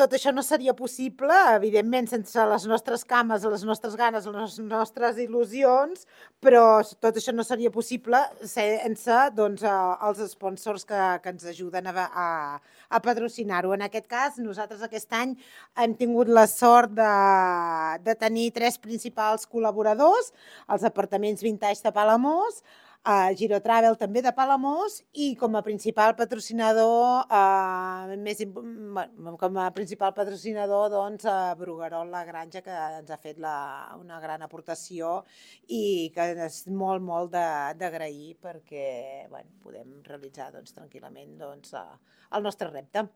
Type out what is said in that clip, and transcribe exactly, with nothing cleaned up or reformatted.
tot això no seria possible, evidentment, sense les nostres cames, les nostres ganes, les nostres il·lusions, però tot això no seria possible sense, doncs, eh, els sponsors que que ens ajuden a a a patrocinar-ho. En aquest cas, nosaltres aquest any hem tingut la sort de de tenir tres principals col·laboradors, els apartaments Vintage de Palamós, a Girotravel també de Palamós i com a principal patrocinador, eh, més imp bé, com a principal patrocinador, doncs, a Bruguerol La Granja, que ens ha fet la una gran aportació i que és molt, molt de d'agrair perquè, bueno, podem realitzar, doncs, tranquil·lament, doncs, eh, el nostre repte.